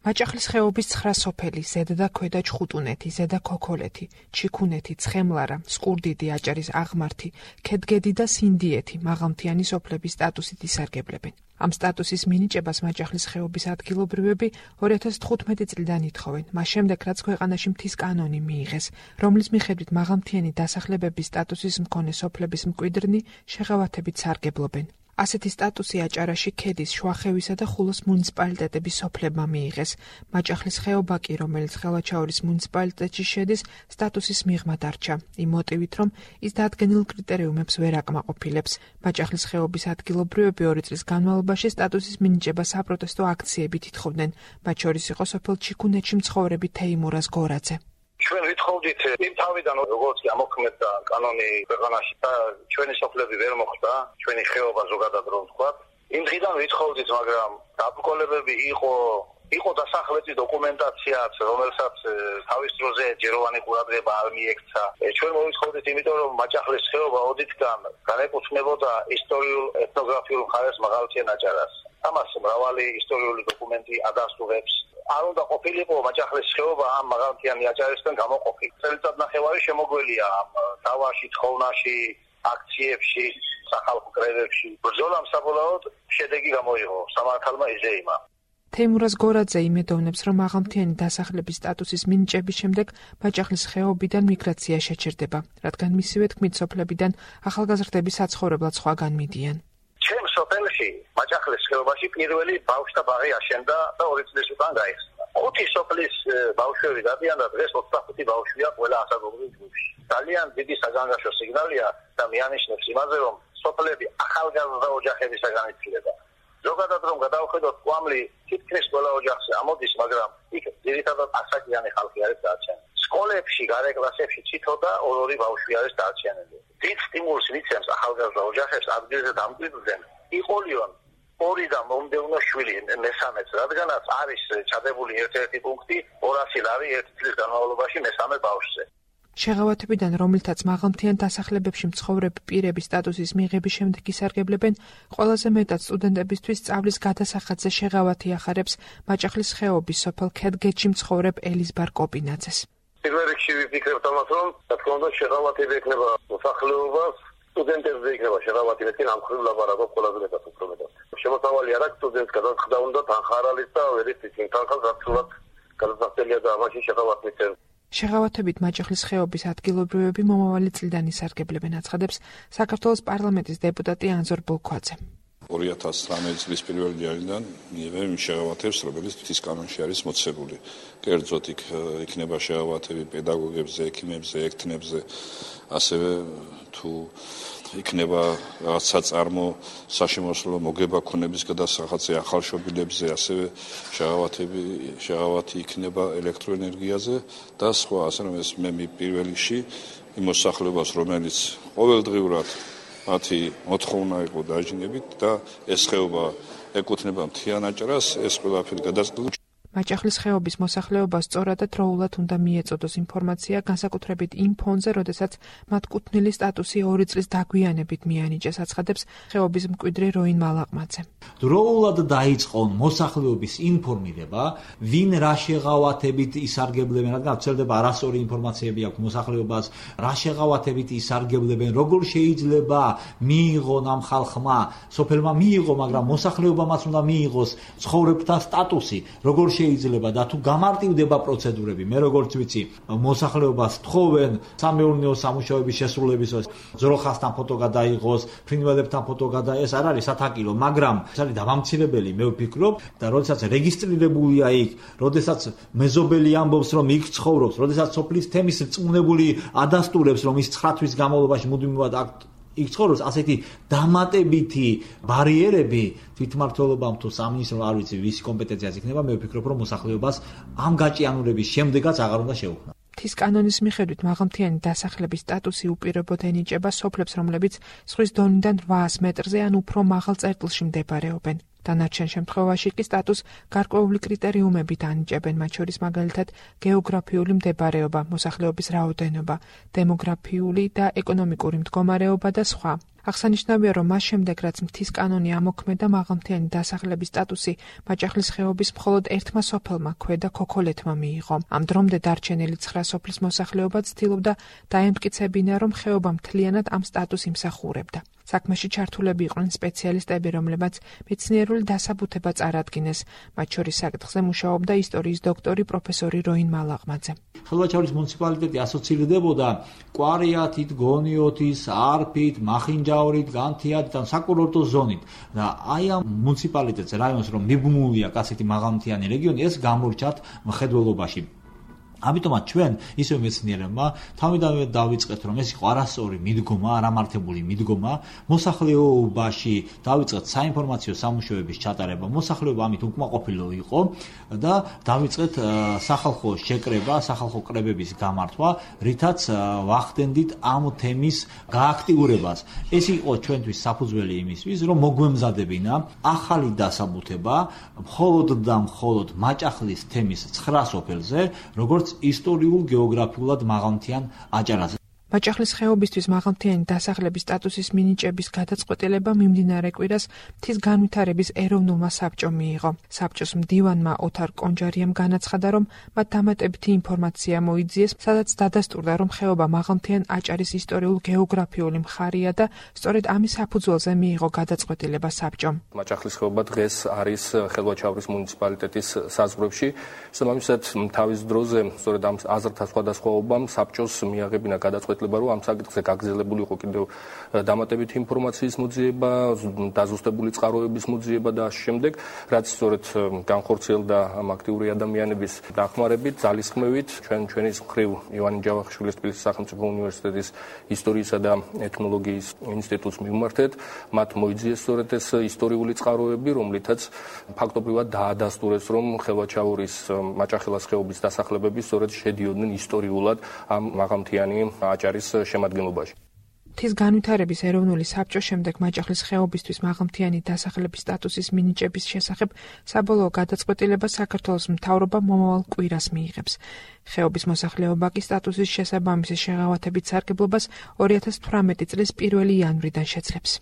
მაჭახლის ხეობის 9 სოფელი, ზედა და ქვედა ჩხუტუნეთი, ზედა ქოქოლეთი, ჩიქუნეთი, ცხემლარა, სკურდიდი, აჭარის აღმართი, ქედგედი და სინდიეთი მაღალმთიანი სოფლების სტატუსით ისარგებლებენ. ამ სტატუსის მინიჭებას მაჭახლის ხეობის ადგილობრივები 2015 წლიდან ითხოვენ, მას შემდეგ რაც ქვეყანაში მთის კანონი მიიღეს, რომლის მიხედვით მაღალმთიანი დასახლებების სტატუსის მქონე სოფლების მკვიდრნი შეღავათებით სარგებლობენ. ასეთი სტატუსი აჭარაში ქედის, შუახევისა და ხულოს მუნიციპალიტეტების სოფლებმა მიიღეს. მაჭახლის ხეობა კი, რომელიც ხელვაჩაურის მუნიციპალიტეტში შედის, სტატუსის მიღმა დარჩა, იმ მოტივით, რომ ის დადგენილ კრიტერიუმებს ვერ აკმაყოფილებს. მაჭახლის ხეობის ადგილობრივები 2 წლის განმავლობაში სტატუსის მინიჭებას საპროტესტო აქციებით ითხოვდნენ, მათ შორის იყო სოფელ ჩიქუნეთში მცხოვრები თეიმურაზ გორაძე. ჩვენ ვითხოვდით იმ თავიდან როგორც ამოქმედდა კანონი ქვეყანაში და ჩვენი სოფლები ვერ მოხვდა, ჩვენი ხეობა ზოგადად რომ ვთქვათ. იმ დღიდან ვითხოვდით, მაგრამ დაბრკოლებები იყო დასახლების დოკუმენტაციაც, რომელსაც თავის დროზე ჯეროვანი ყურადღება არ მიექცა. ჩვენ მოვითხოვდით, იმიტომ რომ მაჭახლის ხეობა ოდითგან განეკუთვნებოდა ისტორიულ ეთნოგრაფიულ მხარეს მაღალმთიან აჭარას. ამას მრავალი ისტორიული დოკუმენტი ადასტურებს. არ უნდა ყოფილიყო მაჭახლის ხეობა ამ მაღალმთიანი აჭარისგან გამოყოფილი. წელიწადნახევარი შემოგველია დავაში, თხოვნაში, აქციებში, სახალხო კრებებში. ბრძოლამ საბოლოოდ შედეგი გამოიღო, სამართალმა იზეიმა. თეიმურაზ გორაძე იმედოვნებს, რომ მაღალმთიანი დასახლების სტატუსის მინიჭების შემდეგ მაჭახლის ხეობიდან მიგრაცია შეჩერდება, რადგან მისივე თქმით სოფლებიდან ახალგაზრდები საცხოვრებლად სხვაგან მიდიან. ჩემ სოფელში, მაჭახლის ხეობაში პირველი ბავშვთა ბაღი აშენდა და 2 წლის უკან გაიხსნა. 5 სოფლის ბავშვები დადიან და დღეს 25 ბავშვია ყველა ასაკობრივ ჯგუფში. ძალიან დიდი საგანგაშო სიგნალია და მიანიშნებს იმაზე, რომ სოფლები ახალგაზრდა ოჯახებისაგან იცვლება. ზოგადად რომ გადავხედოთ კვამლი თითქმის ყველა ოჯახზე ამოდის, მაგრამ იქ ძირითადად ასაკიანი ხალხი არის დარჩენილი. სკოლებში, გარეკლასებში თითო და 2 ბავშვი არის დარჩენილი. დიდ სტიმულს მიცემს ახალგაზრდა ოჯახებს ადგილზე დამკვიდრდნენ. იყოლიონ 2 და მომდევნო შვილი მესამეც, რადგანაც არის ჩადებული ერთ-ერთი პუნქტი 200 ლარი 1 წლის განმავლობაში მესამე ბავშვზე. შეღავათებიდან, რომელთაც მაღალმთიან დასახლებებში მცხოვრები პირების სტატუსის მიღების შემდეგ ისარგებლებენ, ყველაზე მეტად სტუდენტებისთვის სწავლის გადასახადზე შეღავათი ახარებს მაჭახლის ხეობის სოფელ ქედგეთში მცხოვრებ ელიზბარ კოპინაძეს. პირველ რიგში ვიფიქრებთ ამას, რომ რა თქმა უნდა შეღავათები ექნება მოსახლეობას, სტუდენტებზე იქნება შეღავათი, მეთქი ამ ხრივ ლაბარაკობ ყველაზე მეტად უფრო მეტად. შემოსავალი არ აქვს სტუდენტს გადასხდა უნდა თანხარალის და ვერით ისინი თანხას რაცულად გადასახდელია და ამაში შეღავათი მიცემს. შეღავათებით მაჭახლის ხეობის ადგილობრივები მომავალი წლიდან ისარგებლებენ, აცხადებს საქართველოს პარლამენტის დეპუტატი ანზორ ბოლქვაძე. 2019 წლის 1 იანვრიდან მიიღებენ იმ შეღავათებს, რომელიც მთის კანონში არის მოცემული. კერძოდ იქნება შეღავათები პედაგოგებზე, ექიმებზე, ექთნებზე, ასევე თუ იქნება რაღაც საწარმო საშემოსავლო მოგება ქონების გადასახადზე ახალშობილებზე, ასევე შეღავათი იქნება ელექტროენერგიაზე და სხვა, ასე რომ ეს მე პირველ რიგში იმ მოსახლეობას, რომელიც ყოველდღიურად მათი მოთხოვნა იყო დაჟინებით და ეს ხეობა ეკუთვნება მთიან აჭარას, ეს ყველაფერი გადაწყვეტილ. მაჭახლის ხეობის მოსახლეობას სწორად და დროულად უნდა მიეწოდოს ინფორმაცია, განსაკუთრებით იმ ფონზე, როდესაც მათ კუთვნილი სტატუსი 2 წლის დაგვიანებით მიანიჭეს, აცხადებს ხეობის მკვიდრი როინ მალაყმაძე. დროულად დაიწყონ მოსახლეობის ინფორმირება, ვინ რა შეღავათებით ისარგებლებენ, რადგან ვრცელდება არასწორი ინფორმაციები აქვს მოსახლეობას, რა შეღავათებით ისარგებლებენ, როგორ შეიძლება მიიღონ ამ ხალხმა, სოფელმა მიიღო, მაგრამ მოსახლეობამაც უნდა მიიღოს ცხოვრებთა სტატუსი, როგორ შეიძლება და თუ გამარტივდება პროცედურები, მე როგორც ვიცი, მოსახლეობას თხოვენ სამეურნეო სამუშაოების შესრულებისას, ძროხასთან ფოტო გადაიღოს, ფრინველებთან ფოტო გადაიღოს, ეს არ არის სათაკილო, მაგრამ ეს არის დამამცირებელი, მე ვფიქრობ და როდესაც რეგისტრირებულია იქ, როდესაც მეზობელი ამბობს, რომ იქ ცხოვრობს, როდესაც სოფლის თემის რწმუნებული ადასტურებს, რომ ის 9 თვის განმავლობაში მუდმივად იქ ცხოვრობს, ასეთი დამატებითი ბარიერები თვითმმართველობამ თუ სამინისტრო არ ვიცი ვის კომპეტენციაზე იქნება, მე ვფიქრობ, რომ მოსახლეობას ამ გაჭიანურების შემდეგაც აღარ უნდა შეუქმნა. მთის კანონის მიხედვით მაღალმთიანი დასახლების სტატუსი უპირობოდ ენიჭება სოფლებს, რომლებიც ზღვის დონიდან 800 მეტრზე ან უფრო მაღალ წერტილში მდებარეობენ. დანარჩენ შემთხვევაში კი სტატუსს გარკვეული კრიტერიუმებით ანიჭებენ, მათ შორის მაგალითად გეოგრაფიული მდებარეობა, მოსახლეობის რაოდენობა, დემოგრაფიული და ეკონომიკური მდგომარეობა და სხვა. აღსანიშნავია, რომ მას შემდეგ, რაც მთის კანონი ამოქმედა, მაღალმთიანი დასახლების სტატუსი მაჭახლის ხეობის მხოლოდ ერთმა სოფელმა, ქვედა ქოქოლეთმა მიიღო. ამ დრომდე დარჩენილი 9 სოფლის მოსახლეობა ცდილობდა დაემტკიცებინა, რომ ხეობა მთლიანად ამ სტატუსს იმსახურებდა. საქმეში ჩართულები იყვნენ სპეციალისტები, რომლებმაც მეცნიერული დასაბუთება წარადგინეს. მათ შორის საკითხზე მუშაობდა ისტორიის დოქტორი პროფესორი როინ მალაღმაძე. ხელვაჩაურის მუნიციპალიტეტი ასოცირდებოდა კვარიათით, გონიოთის, არფით, მახინჯაურით, განთიადით და საკურორტო ზონით. და აი ამ მუნიციპალიტეტს რაიონს რომ მიბმულია კაცეთი მაღალმთიანი რეგიონი, ეს გამორჩათ მხედველობაში. ამიტომაც ჩვენ ისევ მეცნიერებმა თავიდანვე დავიწყეთ, რომ ეს იყო არასწორი მიდგომა, არამართებული მიდგომა, მოსახლეობაში დავიწყეთ საინფორმაციო სამუშაოების ჩატარება, მოსახლეობა ამით უკმაყოფილო იყო და დავიწყეთ სახალხო შეკრება, სახალხო კრებების გამართვა, რითაც ვახდენდით ამ თემის გააქტიურებას. ეს იყო ჩვენთვის საფუძველი იმისთვის, რომ მოგვემზადებინა ახალი დასაბუთება მხოლოდ და მხოლოდ მაჭახლის თემის 9 სოფელზე, როგორც ისტორიულ გეოგრაფიულად მაღალმთიან აჭარაზე. მაჭახლის ხეობისთვის მაღალმთიანი დასახლების სტატუსის მინიჭების გადაწყვეტილება მიმდინარე კვირას მთის განვითარების ეროვნულმა საბჭომ მიიღო. საბჭოს მდივანმა ოთარ კონჯარიამ განაცხადა, რომ მათ დამატებითი ინფორმაცია მოიძიეს, სადაც დადასტურდა, რომ ხეობა მაღალმთიან აჭარის ისტორიულ-გეოგრაფიული მხარეა და სწორედ ამის საფუძველზე მიიღო გადაწყვეტილება საბჭომ. მაჭახლის ხეობა დღეს არის ხელვაჩაურის მუნიციპალიტეტის საზღვრებში. შესაბამისად, თავის დროზე სწორედ ამ აზრთა სხვადასხვაობამ საბჭოს მიაღებინა გადაწყვეტილება, რომ ამ საკითხზე გაგრძელებული იყო კიდევ დამატებითი ინფორმაციის მოძიება, დაზუსტებული წყაროების მოძიება და ამ შემდეგ, რაც სწორედ განხორციელდა ამ აქტიური ადამიანების დახმარებით, ძალისხმევით, ჩვენი მხრივ ივანე ჯავახიშვილის თბილისის სახელმწიფო უნივერსიტეტის ისტორიისა და ეთნოლოგიის ინსტიტუტს მივმართეთ, მათ მოიძიეს სწორედ ეს ისტორიული წყაროები, რომლითაც ფაქტობრივად დაადასტურეს, რომ ხელვაჩაურის მაჭახელას ხეობის დასახლებები სწორედ შედიოდნენ ისტორიულად ამ მაღალმთიანი აჭარის შემადგენლობაში. მთის განვითარების ეროვნული საბჭოს შემდეგ მაჭახლის ხეობისთვის მაღალმთიანი დასახლების სტატუსის მინიჭების შესახებ საბოლოო გადაწყვეტილება საქართველოს მთავრობა მომავალ კვირას მიიღებს. ხეობის მოსახლეობა კი სტატუსის შესაბამისი შეღავათებით სარგებლობას 2018 წლის 1 იანვრიდან შეძლებს.